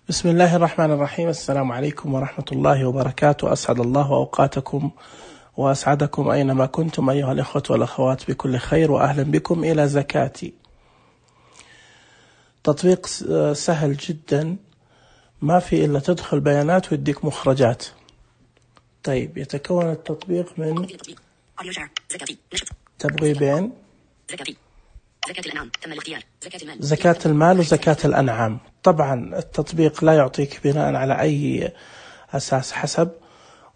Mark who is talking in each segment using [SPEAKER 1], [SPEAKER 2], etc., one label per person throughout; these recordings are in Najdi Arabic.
[SPEAKER 1] بسم الله الرحمن الرحيم. السلام عليكم ورحمة الله وبركاته. أسعد الله أوقاتكم وأسعدكم أينما كنتم أيها الإخوة والأخوات بكل خير، وأهلا بكم إلى زكاتي. تطبيق سهل جدا، ما في إلا تدخل بيانات ويديك مخرجات. طيب، يتكون التطبيق من تبغيبين: زكاة المال وزكاة الأنعام. طبعا التطبيق لا يعطيك بناء على أي أساس حسب،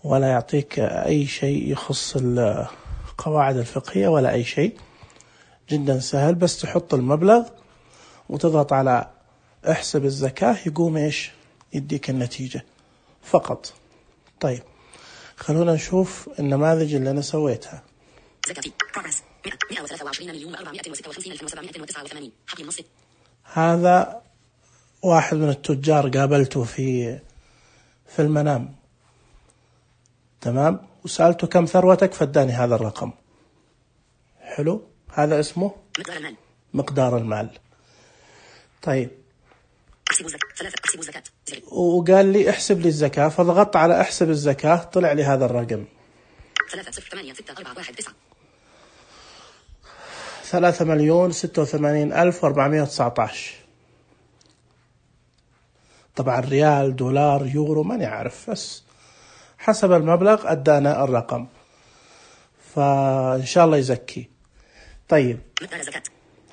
[SPEAKER 1] ولا يعطيك أي شيء يخص القواعد الفقهية ولا أي شيء. جدا سهل، بس تحط المبلغ وتضغط على احسب الزكاة، يقوم يديك النتيجة فقط. طيب، خلونا نشوف النماذج اللي أنا سويتها. هذا واحد من التجار قابلته في المنام، تمام، وسألته كم ثروتك فاداني هذا الرقم. حلو، هذا اسمه مقدار المال. طيب، وقال لي احسب لي الزكاة، فضغطت على احسب الزكاة، طلع لي هذا الرقم 3,086,419. طبعا ريال، دولار، يورو، ما نعرف، بس حسب المبلغ أدانا الرقم، فإن شاء الله يزكي. طيب،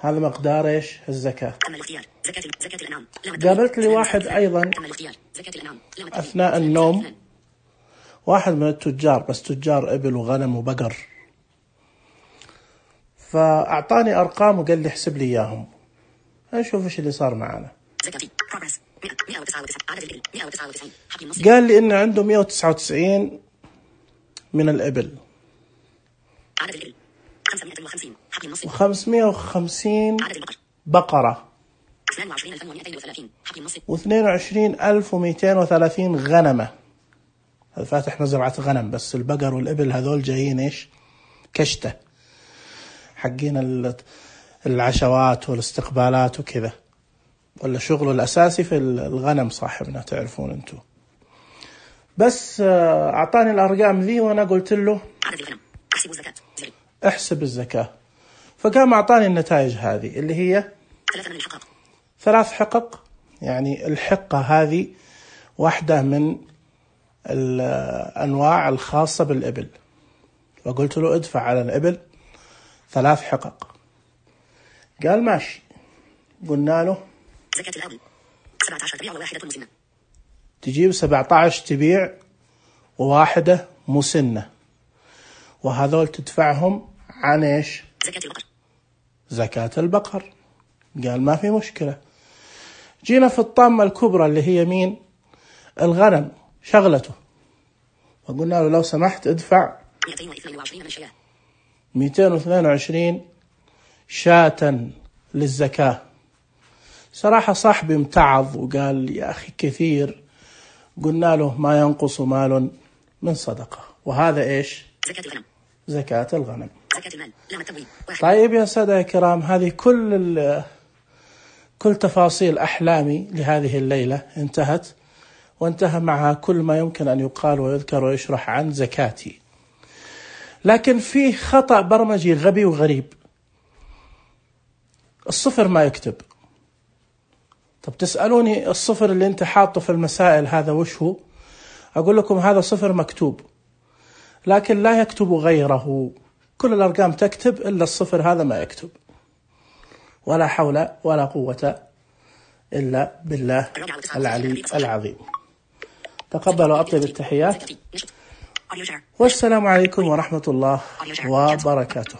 [SPEAKER 1] هذا مقدار الزكاة. قابلت لي واحد أيضا أثناء النوم، واحد من التجار، بس تجار إبل وغنم وبقر، فأعطاني أرقام وقال لي احسب لي إياهم. نشوف إيش اللي صار معنا. قال لي إنه عنده 199 من الإبل، و550 بقرة، و22,230 غنمة. هذا فاتح مزرعة غنم، بس البقر والإبل هذول جايين كشتة، حقين العشوات والاستقبالات وكذا، ولا شغله الأساسي في الغنم صاحبنا، تعرفون أنتم. بس أعطاني الأرقام ذي، وأنا قلت له احسب الزكاة، فقام أعطاني النتائج هذه اللي هي 3 حقق. يعني الحقة هذه واحدة من الأنواع الخاصة بالإبل، فقلت له ادفع على الإبل 3 حقق. قال ماشي. قلنا له زكاة الأبل 17 تبيع وواحدة مسنة، تجيب 17 تبيع وواحدة مسنة، وهذول تدفعهم عن زكاة البقر. زكاة البقر. قال ما في مشكلة. جينا في الطامة الكبرى اللي هي مين؟ الغنم، شغلته، وقلنا له لو سمحت ادفع 222 شاة للزكاة. صراحة صاحبي امتعض وقال يا أخي كثير. قلنا له ما ينقص مال من صدقة، وهذا زكاة الغنم. زكاة الغنم. زكاة المال لا تبوي. طيب يا سادة الكرام، هذه كل تفاصيل أحلامي لهذه الليلة انتهت، وانتهى معها كل ما يمكن أن يقال ويذكر ويشرح عن زكاتي. لكن فيه خطأ برمجي غبي وغريب. الصفر ما يكتب. طب تسألوني الصفر اللي انت حاطه في المسائل هذا وش هو؟ أقول لكم هذا صفر مكتوب، لكن لا يكتب غيره. كل الأرقام تكتب إلا الصفر هذا ما يكتب. ولا حول ولا قوة إلا بالله العلي العظيم. تقبلوا أطيب التحيات، والسلام عليكم ورحمة الله وبركاته.